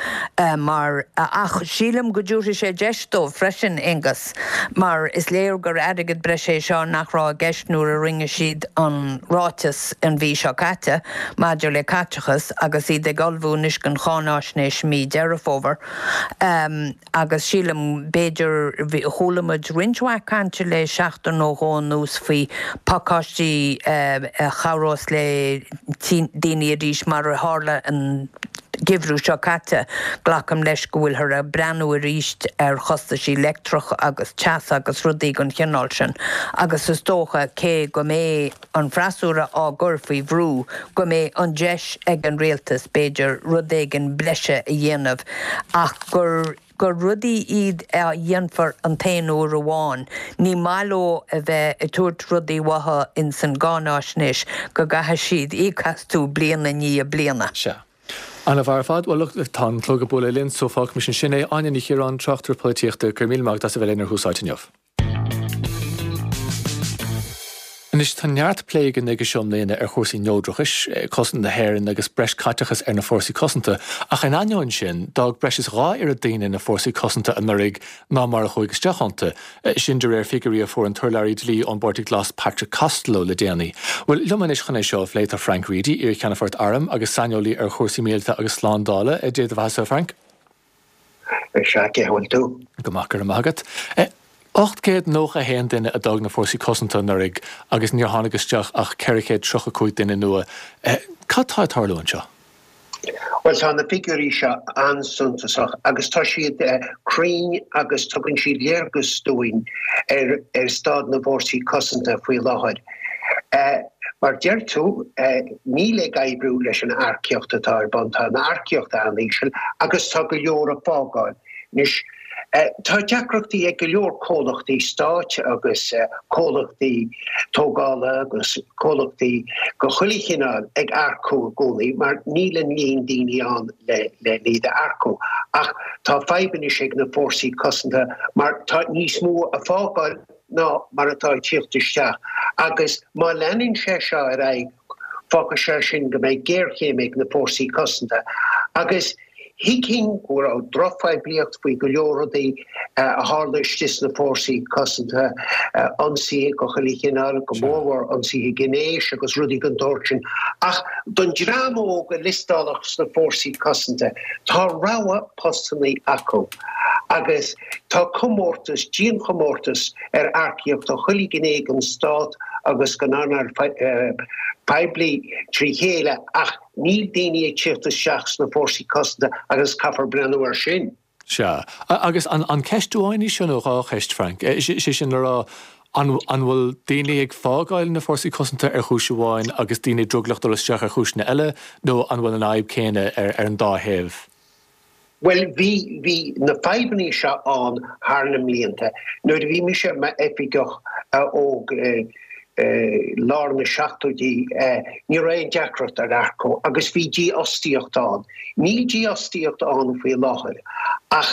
mar, ach sílim go dtabharfaidh sé deis dóibh freisin, Aonghus, mar is léir gur airgead breise é seo nach raibh i gceist nuair a rinne siad an ráiteas an mhí seo caite maidir le caiteachas agus iad ag ullmhú anois don cháináisnéis mí Deireadh Fómhair. Agus sílim, b'fhéidir, chuala muid roinnt mhaith cainte le seachtain nó dhó anuas. anuas faoi phacáistí a chabhrós le daoine arís mar a tharla an geimhreadh seo caite. Glacaim leis go bhfuilthear ag breathnú arís ar chostaisí leictreach agus teas agus rudaí den chineál sin agus is dócha cé go mbeidh an freasúra á gcur faoi bhrú go mbeidh an deis ag an rialtas b'fhéidir rud éigin breise a dhéanamh ach gur gur rudaí iad a dhéanfar an t-aon uair amháin. Ní maith leo a bheith ag tabhairt rudaí uathu ins an gcáináisnéis go gcaithfidh siad íoc astu bliain i ndiaidh bliana. Sea. Ana-mhaith ar fad. Bhuel, look, tá an clog ag bualadh linn so fágfaimis ansin é. Áine Ní Chiaráin, tráchtaire polaitíochta, go raibh míle maith agat as a bheith linn ar Thús Áite inniu. Anois, tá neart plé againn aige seo i mbliana ar chúrsaí neodrachais, cosaint na hÉireann agus breis caiteachais ar na fórsaí cosanta, ach in ainneoin sin, d'fhág breis is 2 oiread daoine na fórsaí cosanta anuraidh ná mar a chuaigh isteach iontu, sin de réir figiúirí a fuair an t-urlabhraí dlí ón bPáirtí Glas Patrick Costello le déanaí. Bhuel, liom anois chun é seo a phlé tá Frank Reidy, iar-Cheannfort Airm agus saineolaí ar chúrsaí míleata agus slándála. Dé do bheatha-sa, a Frank. Sea, cén chaoi a bhfuil tú? Go maith, go raibh maith agat. 891 duine a d'fhág na Fórsaí Cosanta anuraidh agus níor tháinig isteach ach 435 duine nua. Cad tá ag tarlú anseo? Bhuel, tá na figiúirí seo an-suntasach agus tá siad cruinn agus tugann siad léargas dúinn ar staid na bhFórsaí Cosanta faoi láthair. Mar deir tú, níl ag oibriú leis an earcaíocht atá ar bun, tá an earcaíocht an-íseal agus tá go leor ag fágáil. Anois, tá deacrachtaí ag go leor comhlachtaí stáit agus comhlachtaí tógála agus comhlachtaí de chuile chineál ag earcú i gcónaí mar níl an líon daoine ann le iad a earcú. Ach tá fadhb anois ag na fórsaí cosanta mar tá níos mó ag fágáil ná mar atá ag tíocht isteach agus má leanann sé seo ar aghaidh fágfaidh sé sin go mbeidh géarchéim ag na fórsaí cosanta agus thuigfinn go raibh drochphoiblíocht faoi go leor rudaí a tharla istigh sna fórsaí cosanta, ionsaithe de chuile chineál, go mórmhór ionsaithe gnéis agus rudaí den tsórt sin. Ach don dream óg a liostálfadh sna fórsaí cosanta, tá rogha postannaí acu agus Tá comórtas, dianchomórtas ar earcaíocht ó chuile ghné den stát agus den earnáil poiblí trí chéile ach níl daoine ag tíocht isteach sna fórsaí cosanta agus caithfear breathnú air sin. Sea. Agus an ceist amháin í seo nó dhá cheist, Frank? Sé sin le rá, an bhfuil daoine ag fágáil na fórsaí cosanta ar chúis amháin agus daoine drogallach dul isteach ar chúiseanna eile nó an bhfuil an fhadhb céanna ar an dá thaobh? Bhuel, bhí, bhí na fadhbanna seo ann thar na mblianta. Nuair a bhí mise i m'oifigeach óg i lár na seachtóidí, ní raibh aon deacracht ar earcú agus bhí dífhostaíocht ann. Níl dífhostaíocht ann faoi láthair ach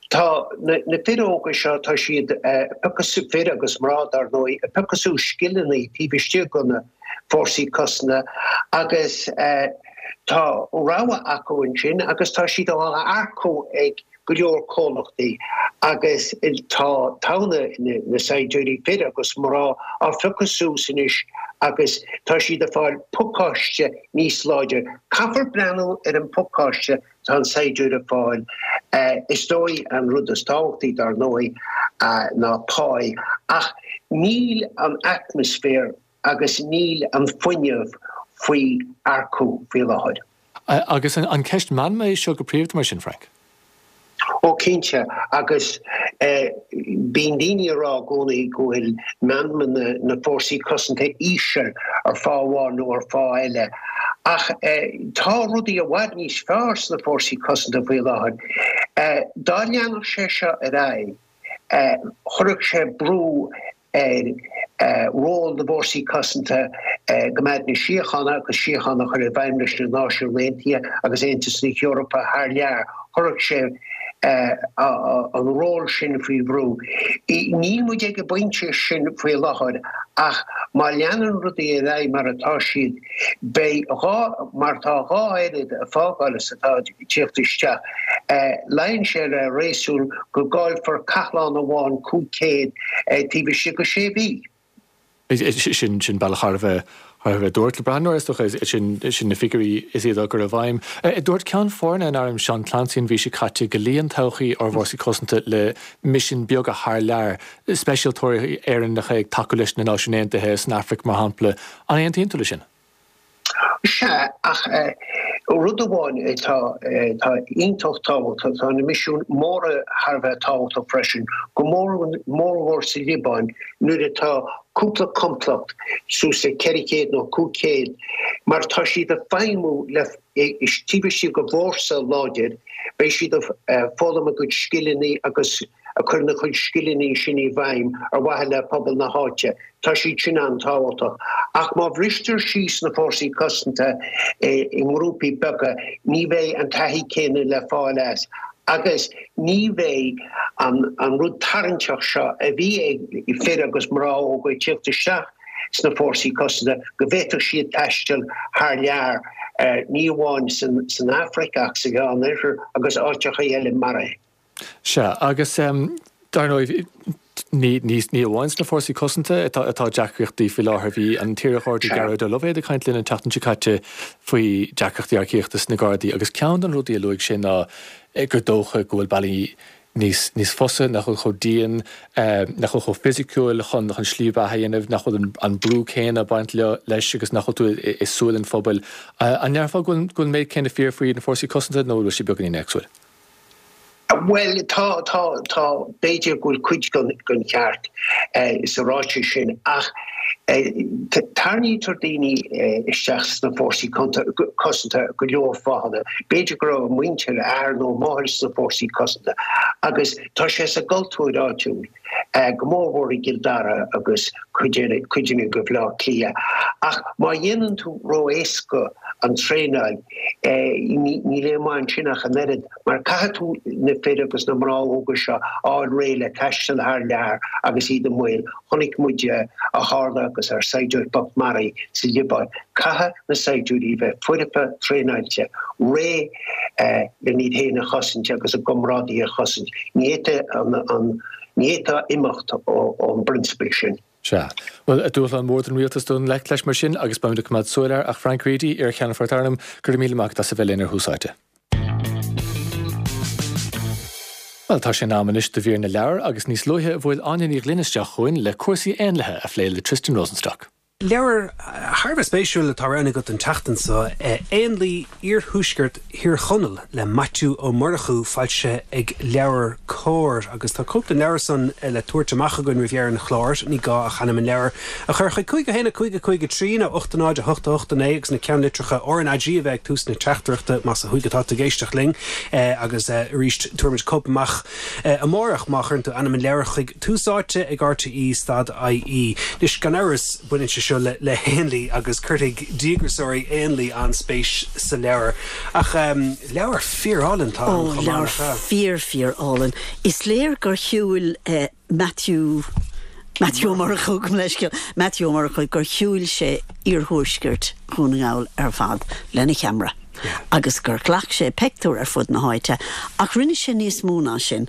tá na, na fir óga seo, tá siad ag piocadh, fir agus mná dar ndóigh, ag piocadh suas scileanna taobh istigh de na fórsaí cosanta agus, Tá rogha acu ansin agus tá siad á earcú ag go leor comhlachtaí agus tá togha na saighdiúirí, fir agus mná, á phiocadh suas anois agus tá siad ag fáil pacáiste níos láidre. Caithfear breathnú ar an phacáiste atá an saighdiúir ag fáil. Is dóigh an rud is tábhachtaí dar ndóigh ná pá ach níl an atmaisféar agus níl an fuinneamh faoi earcú faoi láthair. Agus an ceist meanma é seo go príomhda mar sin, Frank? Ó cinnte, agus bíonn daoine ag rá i gcónaí go bhfuil meanma na bhfórsaí cosanta íseal ar fáth amháin nó ar fáth eile, ach tá rudaí i bhfad níos fearr sna fórsaí cosanta faoi láthair. Dá leanfadh sé seo ar aghaidh, chuirfeadh sé brú ar ról na bhFórsaí Cosanta i gcoimeád na síochána agus síocháin a chur i bhfeidhm leis na Náisiúin Aontaithe agus Aontas na hEorpa thar lear. Chuirfeadh sé an ról sin faoi bhrú. Níl muid ag an bpointe sin faoi láthair ach má leanann rudaí ar aghaidh mar atá siad, Beidh dhá, mar tá dhá oiread ag fágáil is atá ag tíocht isteach. Luíonn sé le réasún go gcaillfear cathlán amháin 500 taobh istigh de sé mhí. Sin, sin bealach thar a bheith, Thar a bheith dúirt le breathnóir, is dócha, sin sin na figiúirí is iad á gcur i bhfeidhm. Dúirt Ceann Foirne an Airm, Seán Clancy, an mhí seo caite go luíonn todhchaí ár bhfórsaí cosanta le misin beaga thar lear, speisialtóirí Éireannacha ag tacú leis na Náisiúin Aontaithe san Afraic, mar shampla. An aontaíonn tú leis sin? Sea, ach rud amháin atá atá iontach tábhachtach, tá na misiúin móra thar a bheith tábhachtach freisin, go mórmhór sa Liobáin nuair atá cúpla complacht suas le 400 nó 500, mar tá siad ag feidhmiú le taobh istigh de bhfórsa láidir, beidh siad ag foghlaim a gcuid scileanna agus ag cur na cuid scileanna sin i bhfeidhm ar mhaithe le pobal na háite. Tá siad sin an-tábhachtach. Ach má bhristear síos na fórsaí cosanta i ngrúpaí beaga, ní bheidh an taithí céanna le fáil as agus ní bheidh an rud tarraingteach seo a bhí ag fir agus mná óga ag tíocht isteach sna fórsaí cosanta go bhféadfadh siad taisteal thar lear, ní amháin san Afraic ach sa Mheánoirthear agus áiteacha eile mar é. Sea, agus dar ndóigh, ní ní amháin sna Fórsaí Cosanta atá atá deacrachtaí faoi láthair. Bhí an t-iar-Gharda Gearóid Ó Loibhéad ag caint linn an tseachtain seo caite faoi deacrachtaí earcaíochta sna Gardaí agus ceann de na rudaí a luaigh sé ná gur dócha go bhfuil bealaí níos níos fusa, nach bhfuil chomh dian, nach bhfuil chomh fisiciúil chun chun slí bheatha a dhéanamh, nach bhfuil an brú céanna ag baint leo leis agus nach bhfuil tú i súil an phobail. An ndéarfá go bhfuil go bhfuil an méid céanna fíor faoi na Fórsaí Cosanta nó an bhfuil sé beagáinín éagsúil? Bhuel, tá, tá, tá, b'fhéidir go bhfuil cuid den cheart sa ráiteas sin ach tarraingítear daoine isteach sna fórsaí cosanta go leor fáthanna. B'fhéidir go raibh a muintir, a athair nó a máthair sna fórsaí cosanta agus tá sé sa gcultúr áitiúil, go mórmhór i gCill Dara agus cuideanna de Bhaile Átha Cliath. Ach má dhéanann tú ró-éasca an traenáil, níl aon mhaith ansin ach an oiread. Mar caithfidh tú na fir agus na mná óga seo a fháil réidh le taisteal thar lear agus iad i mbaol. Chonaic muid a tharla agus ár saighdiúir bocht maraithe sa Liobáin. Caithfidh na saighdiúirí a bheith foirfe, traenáilte, réidh len iad féin a chosaint agus a gcomrádaithe a chosaint. Ní fhéadfá imeacht ón bprionsabal sin. Sea. Bhuel, dúshlán mór don rialtas dul i ngleic leis mar sin agus beimid ag coimeád súil air ach Frank Reidy, iar-Cheannfort Airm, go raibh míle maith agat as a bheith linn ar Thús Áite. Bhuel, tá sé in am anois do mhír na leabhar agus níos luaithe bhuail Áine Ní Ghlinn isteach chugainn le cúrsaí éanlaithe a phlé le Tristan Rosenstock. Leabhar thar a bheith spéisiúil atá roghnaithe agat an tseachtain seo, Éanlaith Iarthuaisceart Thír Chonaill le Maitiú Ó Murchú, foilsithe ag LeabhairCOMHAR. Agus tá cóip den leabhar san le tabhairt amach againn roimh dheireadh an chláir. Ní gá ach ainm an leabhair a chur chuig 5 1 5 5 3 nó 8 0 8 8 9 agus na ceannlitreacha RnaG a bheith ag tús na teachtaireachta más ó thuaidh atá tú ag éisteacht linn. Agus arís, tabharfaimid cóip amach amárach má chuireann tú ainm an leabhair chuig Tús Áite ag RTÉ stad IE. Anois, gan amhras, baineann sé seo le héanlaith agus cuirfidh díograiseoirí éanlaith an-spéis sa leabhar. Ach leabhar fíor-álainn atá ann chomh maith, nach ea? Ó, leabhar fíor, fíor-álainn. Is léir gur shiúil Maitiú, Maitiú Ó Murchú, gabh mo leithscéal, Maitiú Ó Murchú, gur shiúil sé iarthuaisceart Dhún na nGall ar fad lena cheamara agus gur ghlac sé peictiúir ar fud na háite. Ach rinne sé níos mó ná sin.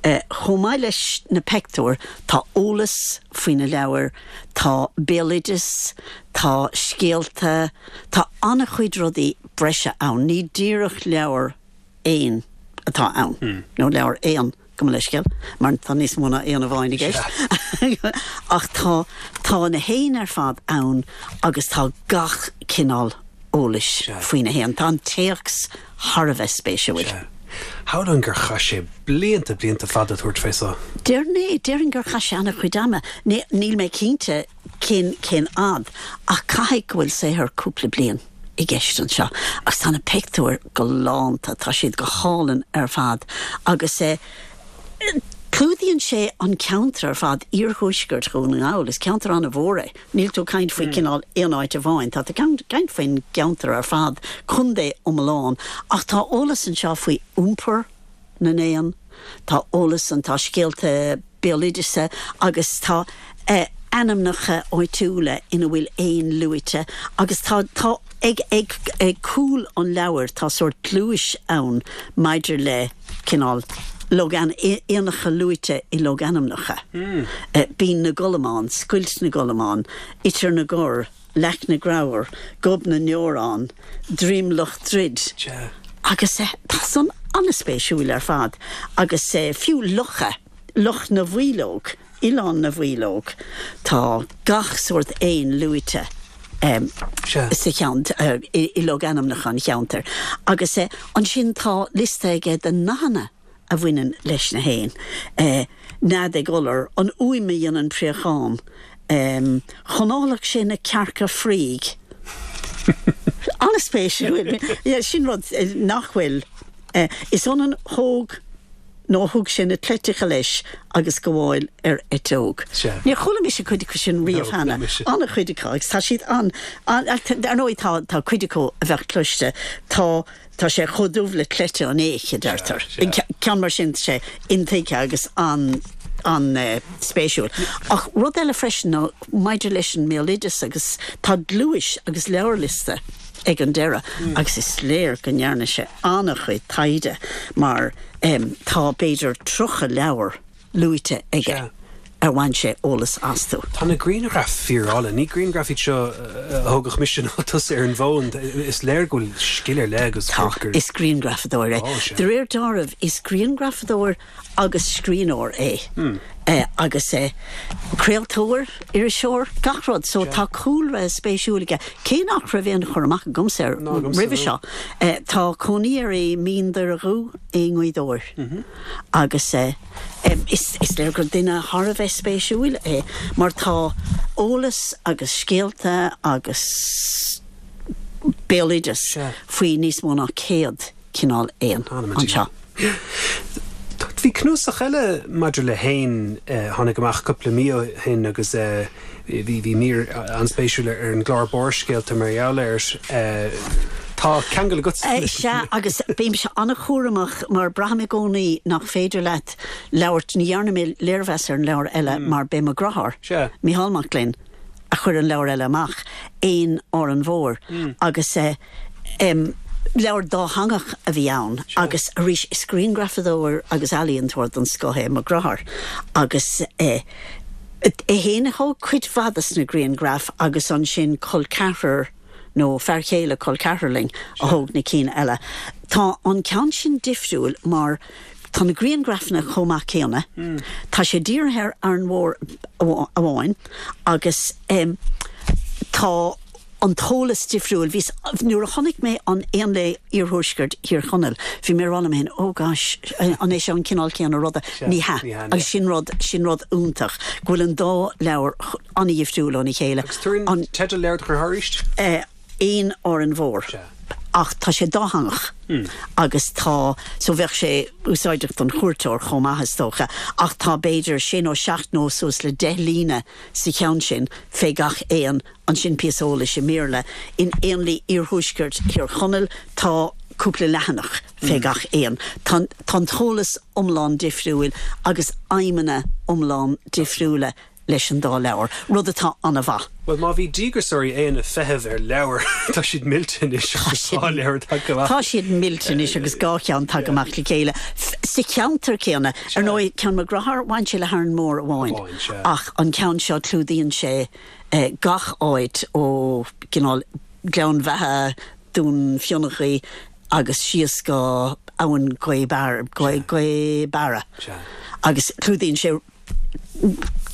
Chomh maith leis na peictiúir, tá eolas faoi na leabhair, tá béaloideas, tá scéalta, tá an-chuid rudaí breise ann. Ní díreach leabhar éan atá ann, nó leabhar éan, gabh mo leithscéal, mar tá níos mó ná éan amháin i gceist. Ach tá, tá na héin ar fad ann agus tá gach cineál eolais faoi na héin. Tá an téacs thar a bheith spéisiúil. Shamhlóinn gur chaith sé blianta, blianta fada ag tabhairt fé seo. Déarfainn é, déarfainn gur chaith sé an-chuid ama. Níl mé cinnte cén, cén fhad, ach caithfidh go bhfuil saothar cúpla bliain i gceist anseo. Agus tá na pictiúir galánta, tá siad go hálainn ar fad. Agus eh, clúdaíonn sé an ceantar ar fad, iarthuaisceart Dhún na nGall, is ceantar an-mhór é. Níl tú ag caint faoi cineál aon áit amháin, tá tú ag caint faoin gceantar ar fad, contae iomlán. Ach tá eolas anseo faoi iompar na n-éan, tá eolas an, tá scéalta béaloideasa agus tá ainmneacha áitiúla ina bhfuil éin luaite agus tá, tá, ag, ag, ag cúl an leabhair tá sórt gluais ann maidir le cineál. Logainm, éanacha luaite i logainmneacha, Binn na gColmán, Scoilt na gColmán, Iter na gCorr, Leac na gCreabhar, Gob na nDeorán, Droim Loch Druid, agus tá san an-spéisiúil ar fad agus fiú locha, Loch na bhFaoileog, Oileán na bhFaoileog, tá gach sórt éin luaite sa cheantar, i logainmneacha an cheantair. Agus ansin tá liosta aige de nathanna a bhaineann leis na héin, nead ag iolar, an fhuaim a dhéanann préachán, chonálfadh sé na cearca fraoigh. An-spéisiúil. Sin rud nach bhfuil. Is ionann thóg. nó thug sé na cleiteacha leis agus gabháil ar eiteog. Níor chuala mise cuid acu sin riamh cheana, an-chuid acu, agus tá siad an, an, ar ndóigh tá, tá cuid acu a bheadh cloiste, tá, tá sé chomh dubh le cleite an fhéich, a deirtear. Ceann mar sin, tá sé intuigthe agus an, an-spéisiúil. Ach rud eile freisin ná maidir leis an mbéaloideas agus tá gluais agus leabharliosta ag an deireadh agus is léir go ndearna sé an-chuid taighde mar tá b'fhéidir 30 leabhar luaite aige ar bhain sé eolas astu. Tá na grianghraif fíor-álainn. Ní grianghraif iad seo a thógfadh mise ná tusa ar an bhfón. Is léir go bhfuil scil ar leith agus gur. Tá, is grianghrafadóir é. De réir dealraimh, is grianghrafadóir agus scríbhneoir é agus craoltóir, iriseoir, gach rud. So tá cúlra spéisiúil aige, cé nach raibh aon chur amach agamsa air roimhe seo. Tá cónaí air i Mín Doire Dhubh i nGaoth Dobhair agus is léir gur duine thar a bheith spéisiúil é mar tá eolas agus scéalta agus béaloideas faoi níos mó ná 100 cineál éan anseo. Bhí cnuasach eile maidir le héin a tháinig amach cúpla mí ó shin agus bhí bhí mír an-spéisiúil ar an gclár Barrscéalta mar gheall air. Tá ceangal agatsa leis. Sea, agus bímse an-chúramach mar braithim i gcónaí nach féidir leat labhairt, ní dhearna mé léirmheas ar an leabhar eile mar b'é mo dheartháir, Mícheál Mac Gloinn, a chuir an leabhar eile amach, Éin Árainn Mhór, agus leabhar dátheangach a bhí ann agus arís is grianghrafadóir agus ealaíontóir den scoth é mo dheartháir agus é féin a thóg cuid mhaith de na grianghraif agus ansin col ceathrar nó fear chéile col ceathrar linn a thóg na cinn eile. Tá an ceann sin difriúil mar tá na grianghrafanna chomh maith céanna, tá sé dírithe ar Árainn Mhór amháin agus tá an t-eolas difriúil. Bhíos, nuair a chonaic mé an Éanlaith Iarthuaisceart Thír Chonaill, bhí mé ag rá liom féin, oh gosh, an é seo an cineál céanna ruda? Ní hea. Agus sin rud, sin rud iontach, go bhfuil an dá leabhar an-dhifriúil óna chéile. Agus tabhair an teideal leabhair do dheartháir arís? Éin Árainn Mhór. Ach tá sé dátheangach agus tá, so bheadh sé úsáideach don chuairteoir chomh maith is dócha, ach tá b'fhéidir sé nó seacht nó suas le 10 líne sa cheann sin fé gach éan Ansin píosa eolais i mBéarla. In Éanlaith Iarthuaisceart Thír Chonaill tá cúpla leathanach fé gach éan. Tá an t-eolas iomlán difriúil agus aidhmeanna iomlán difriúla leis an dá leabhar, rud atá an-mhaith. Bhuel, má bhí díograiseoirí éan ag feitheamh ar leabhar, tá siad millte anois agus dhá leabhar tagtha amach. Tá siad millte anois agus dhá cheann tagtha amach le chéile sa cheantar céanna. Ar ndóigh, ceann mo dhearthár, bhain sé le hÁrainn Mhór amháin, ach an ceann seo clúdaíonn sé gach áit ó cineál Gleann Bheatha, Dún Fionnachaidh agus síos go Abhainn Ghaoth Beara agus clúdaíonn sé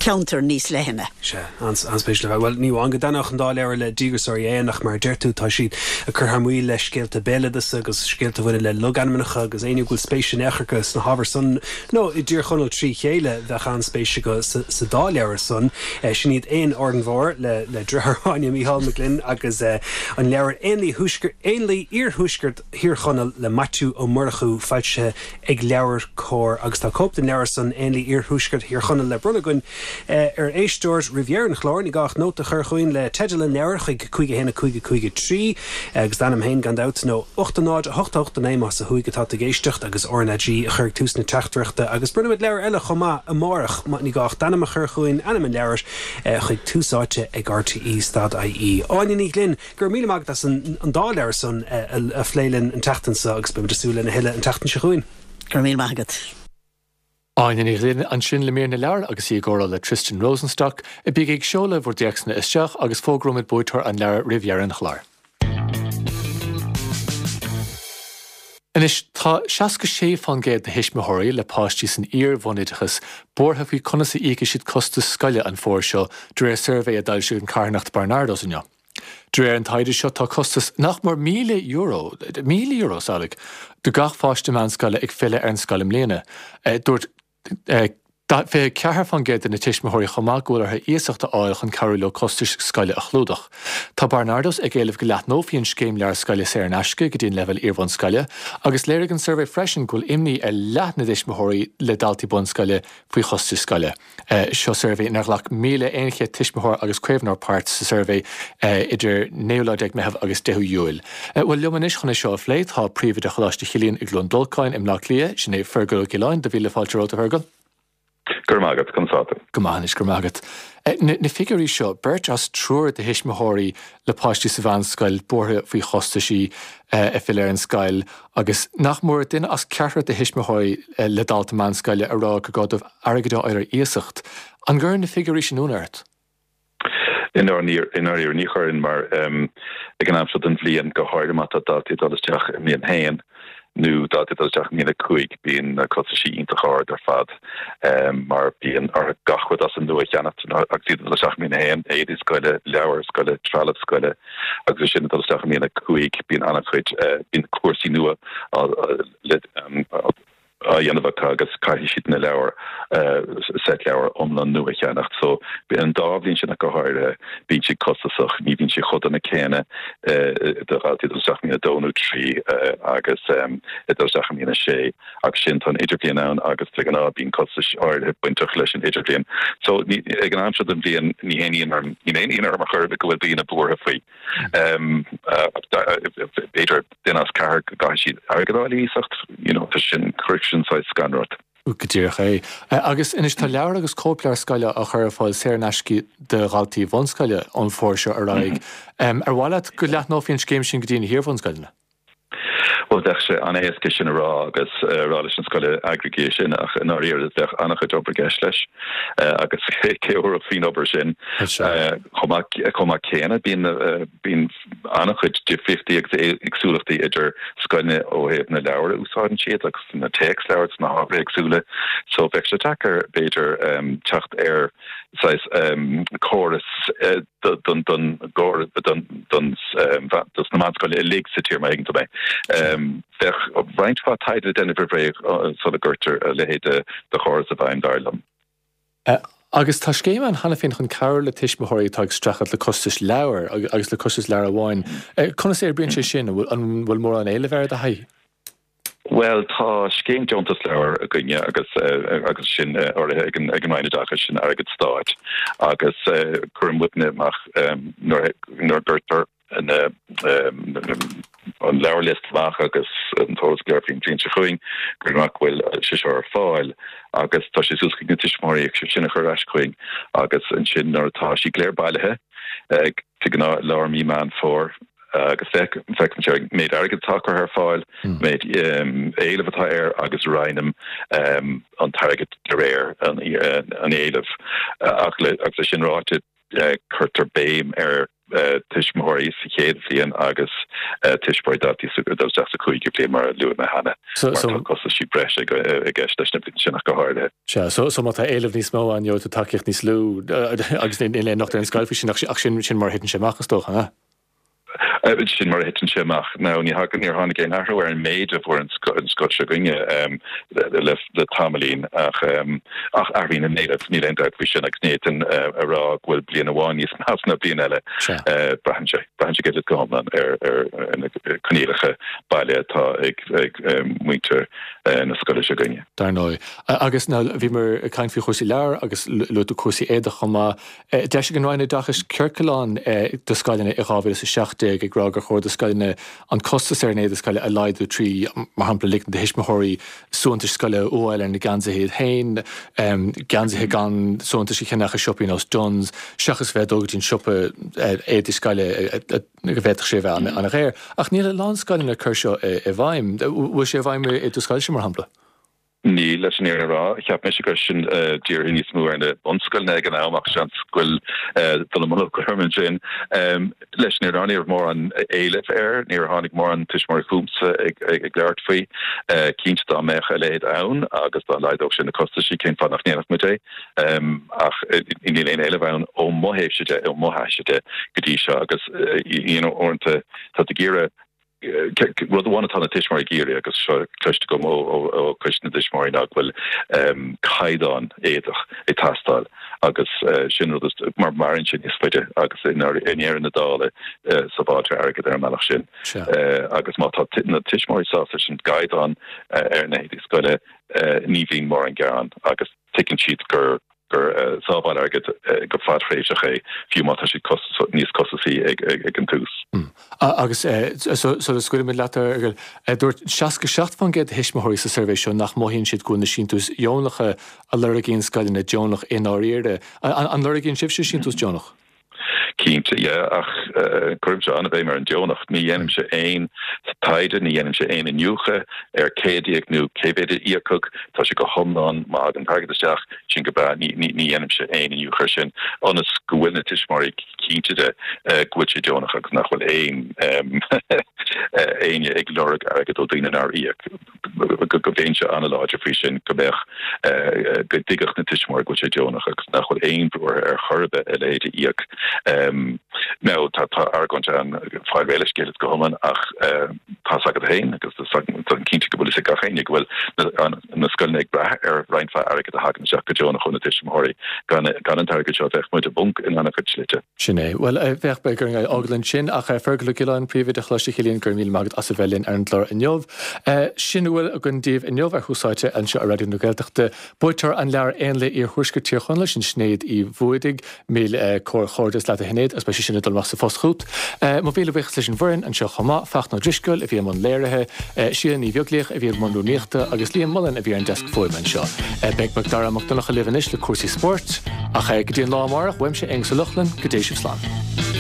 ceantar níos leithne. Sea, an-spéisiúil ar fad. Bhuel, ní amháin go dtaitneodh an dá leabhar le díograiseoirí éan ach mar a deir tú, tá siad ag cur thar maoil le scéalta béaloideasa agus scéalta a bhaineann le logainmneacha agus éinne go bhfuil spéis in aon chor acu sna hábhair san nó i dTír Chonaill trí chéile, bheadh an-spéis acu sa dá leabhar san. Sin iad Éin Árainn Mhór le deartháir Áine, Mícheál Mac Gloinn agus an leabhar Éanlaith Iarthuaisceart Thír Chonaill le Maitiú Ó Murchú, foilsithe ag LeabhairCOMHAR agus tá cóip den leabhar san, Éanlaith Iarthuaisceart Thír Chonaill, le bronnadh againn ar éisteoir roimh dheireadh an chláir. Ní gá ach nóta a chur chugainn le teideal an leabhair chuig 5 1 5 5 3 agus d'ainm féin gan dabht, nó 8 0 8 8 9 más ó thuaidh atá tú ag éisteacht agus RnaG a chur ag tús na teachtaireachta agus bronnfaimid leabhar eile chomh maith amárach. Ní gá ach d'ainm a chur chugainn, ainm an leabhair, chuig Tús Áite ag RTÉ stad IE. Áine Ní Ghlinn, Go raibh míle maith agat as an dá leabhar san a phlé linn an tseachtain seo agus beimid ag súil lena thuilleadh an tseachtain seo chugainn. Go raibh míle maith agat. Áine Ní Ghlinn ansin le mír na leabhar agus í i gcomhrá le Tristan Rosenstock. Bígí ag seoladh bhur dtéacsanna isteach agus fógróimid buaiteoir an leabhair roimh dheireadh an chláir. Anois, tá 66% de thuismitheoirí le páistí san iar-bhunoideachas buartha faoi conas a íocfaidh siad costas scoile an fómhar seo, de réir suirbhé a d'fhoilsigh an carthanacht Barnardos inniu. De réir an taighde seo, tá costas nach mór €1,000, €1,000, samhlaigh, do gach pháiste meánscoile ag filleadh ar an scoil i mbliana. Dúirt 24% de na tuismitheoirí chomh maith go bhfuil orthu iasacht a fháil chun cabhrú leo costais scoile a chlúdach. Tá Barnardos ag éileamh go leathnófaí an scéim leabhar scoile saor in aisce go dtí an leibhéal iarbhunscoile agus léirigh an suirbhé freisin go bhfuil imní ar leath na dtuismitheoirí le daltaí bunscoile faoi chostais scoile. Seo suirbhé inar ghlac 1,100 tuismitheoir agus caomhnóir páirt sa suirbhé idir 9ú lá déag Meitheamh agus 10ú Iúil. Bhuel, liom anois chun é seo a phlé tá Príomhoide Choláiste Chilliain i gCluain Dolcáin i mBleá Cliath, sin é Fergal Ó Giolláin. Do mhíle fáilte romhat, a Fhergal. Go raibh maith agat. Conas tá tú? Go maith anois, go raibh maith agat. Na figiúirí seo, beirt as triúr de thuismitheoirí le páistí sa mheánscoil buartha faoi chostaisí ag filleadh ar an scoil agus nach mór duine as ceathrar de thuismitheoirí le dalta meánscoile a rá gur gá dóibh airgead a fháil ar iasacht. An gcuireann na figiúirí sin ionadh ort? I ndáiríre, ní chuireann mar ag an am seo den bhliain, go háirithe má tá daltaí ag dul isteach i mbliain a haon nó daltaí ag dul isteach i mbliain a cúig, bíonn na costaisí iontach ard ar fad mar bíonn orthu gach rud as an nua a cheannacht agus iad ag dul isteach i mbliain a haon, éadaí scoile, leabhair scoile, trealamh scoile agus ansin ag dul isteach i mbliain a cúig bíonn an-chuid, bíonn cúrsaí nua á á dhéanamh acu agus caithfidh siad na leabhair, seit leabhar iomlán nua a cheannacht. So an dá bhliain sin ach go háirithe, bíonn siad costasach, ní bhíonn siad chomh dona céanna do dhaltaí ag dul isteach i mbliain a dó nó trí agus ag dul isteach i mbliain a sé. Ach sin, tá an idirbhliain ann agus de ghnáth bíonn costais áirithe bainteach leis an idirbhliain. So ag an am seo den bhliain ní haon ionadh orm, ní haon ionadh orm ar chor ar bith go bhfuil daoine buartha faoi. B'fhéidir duine as ceathrar go gcaithfidh siad airgead a fháil ar iasacht, you know, tá sin, cuirfidh sin saghas scanradh ort. Go díreach é. Agus anois tá leabhair agus cóipleabhair scoile á chur ar fáil saor in aisce do dhaltaí bhunscoile ón bhfómhar seo ar aghaidh. Ar mhaith leat go leathnófaí an scéim sin go dtí na hiarbhunscoileanna? Bhuel, bheadh sé an-éasca sin a rá agus a rá leis an scoil eagraígí é sin ach i ndáiríre bheadh an-chuid obair i gceist leis agus cé a thabharfadh faoin obair sin? Chomh maith, chomh maith céanna bíonn, bíonn an-chuid difríochtaí agus éagsúlachtaí idir scoileanna ó thaobh na leabhar a úsáideann siad agus na téacsleabhair agus na hábhair éagsúla so bheadh sé deacair b'fhéidir teacht ar saghas córas don don don don dos na meánscoileanna uilig sa tír má thuigeann tú mé. Bheadh roinnt mhaith taighde le déanamh roimh ré sula gcuirtear a leithéid de chóras i bhfeidhm dar liom. Agus tá scéim ann cheana féin chun cabhrú le tuismitheoirí atá ag streachailt le costais leabhar agus le costais leabhar amháin. Conas a oibríonn sé sin? An bhfuil mórán éilimh air i do thaithí? Bhuel, tá scéim deontas leabhar againne agus agus sin urraithe ag an ag an Roinn Oideachais, sin airgead stáit agus cuireann muidne amach nuair nuair a gcuirtear na an leabharliosta amach agus an t-eolas go léir faoin bhliain seo chugainn, cuireann amach go bhfuil sé seo ar fáil agus tá sé suas chuig na tuismitheoirí é sin a chur ar ais chugainn agus ansin nuair atá siad go léir bailithe de ghnáth lár mí Meán Fómhair agus féachaimse ar an méid airgid atá curtha ar fáil, méid éilimh atá air agus roinnim an t-airgead de réir an éilimh. Ach agus é sin ráite, cuirtear béim ar tuismitheoirí sa chéad bhliain agus tuismitheoirí daltaí ag dul isteach sa chúigiú bliain mar a luaigh mé cheana, mar tá costaisí breise i gceist leis na blianta sin ach go háirithe. Sea, so so má tá éileamh níos mó ann, gheobhaidh tú tacaíocht níos lú agus níl aon locht ar an scoil faoi sin ach sin sin mar a thiteann sé amach is dócha, an ea? Sin mar a thiteann sé amach. Now ní thagann, níor tháinig aon athrú ar an méid a fuair an scoil seo againne le le tamaillín ach ach athraíonn an éileamh, níl aon dabht faoi sin agus ní fhéadfainn a rá go bhfuil bliain amháin níos measa ná bliain eile. Braitheann sé, braitheann sé go hiomlán ar ar na coinníollacha baile atá ag ag muintir na scoile seo againne. Dar ndóigh. Agus now bhíomar ag caint faoi chúrsaí leabhar agus luaigh tú cúrsaí éadach chomh maith. D'eisigh an Roinn Oideachais ciorclán do scoileanna i 2017 ag rá gur chóir do scoileanna an costas ar an éide scoile a laghdú trí, mar shampla, ligean do thuismitheoirí suaitheantais scoile a fhuáil ar na geansaithe iad féin, geansaithe gan suaitheantais a cheannach i siopaí nós Dunnes, seachas bheith ag dul go dtí an siopa éadaí scoile go bhféadfadh sé a bheith an-dhaor. Ach níl a lán scoileanna ag cur seo i bhfeidhm. Bhfuil sé i bhfeidhm i do scoilse, mar shampla? Níl, leis an fhírinne a rá. Cheap mise go raibh sin dírithe níos mó ar na bunscoileanna ag an am ach seans go bhfuil dul i mbun orm ansin. Leis an fhírinne a rá, ní raibh mórán éilimh air, níor tháinig mórán tuismitheoirí chugamsa ag labhairt faoi. Cinnte dá mbeadh a leithéid ann agus dá laghdódh sé na costaisí, cén fáth nach ndéanfadh muid é? Ach níl aon éileamh ann ó mo thaobhse de, ó mo thaithíse de go dtí seo agus you know uaireanta tá tú ag iarraidh Rud amháin atá na tuismitheoirí ag iarraidh, agus seo cloiste agam ó Choiste na dTuismitheoirí, ná go bhfuil caighdeán éadach ag teastáil agus sin rud mar maireann sé níos faide agus i ndeireadh na dála sábháiltear airgead ar an mbealach sin. Agus má tá na tuismitheoirí sásta leis an gcaighdeán ar na héadaí scoile, ní bhíonn mórán gearán agus tuigeann siad gur gur sábháil airgid go fadthréimhseach é, fiú má tá siad níos costasaí ag an tús. Agus sula scaoilfimid leat, a Fhearghail, dúirt 67% de thuismitheoirí sa suirbhé seo nach mothaíonn siad go bhfuil na síntiúis dheonacha a lorgaíonn scoileanna deonach i ndáiríre. An lorgaíonn sibhse síntiús deonach? Cinnte, yeah, ach cuirimse an-bhéim ar an deonach. Ní dhéanaimse aon taighde, ní dhéanaimse aon iniúchadh ar cé a d'íoc nó cé mhéad a íocadh. Tá sé go hiomlán, má thagann an t-airgead isteach, sin go breá, ní dhéanaimse aon iniúchadh ar sin, ionas go bhfuil na tuismitheoirí cinnte de go bhfuil sé deonach agus nach bhfuil aon éinne ag lorg airgead ó daoine nár íoc. go mbeinnse an-láidir faoi sin, go mbeadh, go dtuigfeadh na tuismitheoirí go bhfuil sé deonach agus nach bhfuil aon bhrú orthu ar chor ar bith a leithéid a íoc. Now, tá argóint ann, fáil réidh le scéal is go hiomlán ach tá's agat féin agus táim cinnte go bhfuil fhios ag gach éinne go bhfuil na scoileanna ag brath ar roinnt mhaith airgid a thagann isteach go deonach ó na tuismitheoirí. Gan an t-airgead seo bheadh muid i bponc in an-chuid slite. Sin é. Bhuel, bheadh, beidh orainn fhágáil ansin, ach Fergal Ó Giolláin, Príomhoide Choláiste Chilliain, go raibh míle maith agat as a bheith linn ar an gclár inniu. Sin a bhfuil againn daoibh inniu ar Thús Áite anseo ar Raidió na Gaeltachta. Buaiteoir an leabhair Éanlaith Iarthuaisceart Thír Chonaill, sin Sinéad Uí Bhuadaigh. Míle comhghairdeas leat a Shinéad agus beidh sé sin ag dul amach sa phost chugat. Mo mhíle buíochas leis an bhfoireann anseo chomh maith, Fachtna Ó Drisceoil a bhí i mbun léirithe, Síle Ní Bheaglaoich a bhí i mbun rúnaíochta agus Liam Mullen a bhí ar an deasc fuaime anseo. Beidh Macdara Mac Donncha libh anois le cúrsaí spóirt. Ach go dtí an lá amárach, uaimse, Aonghus Ó Lochlainn, go dté sibh slán.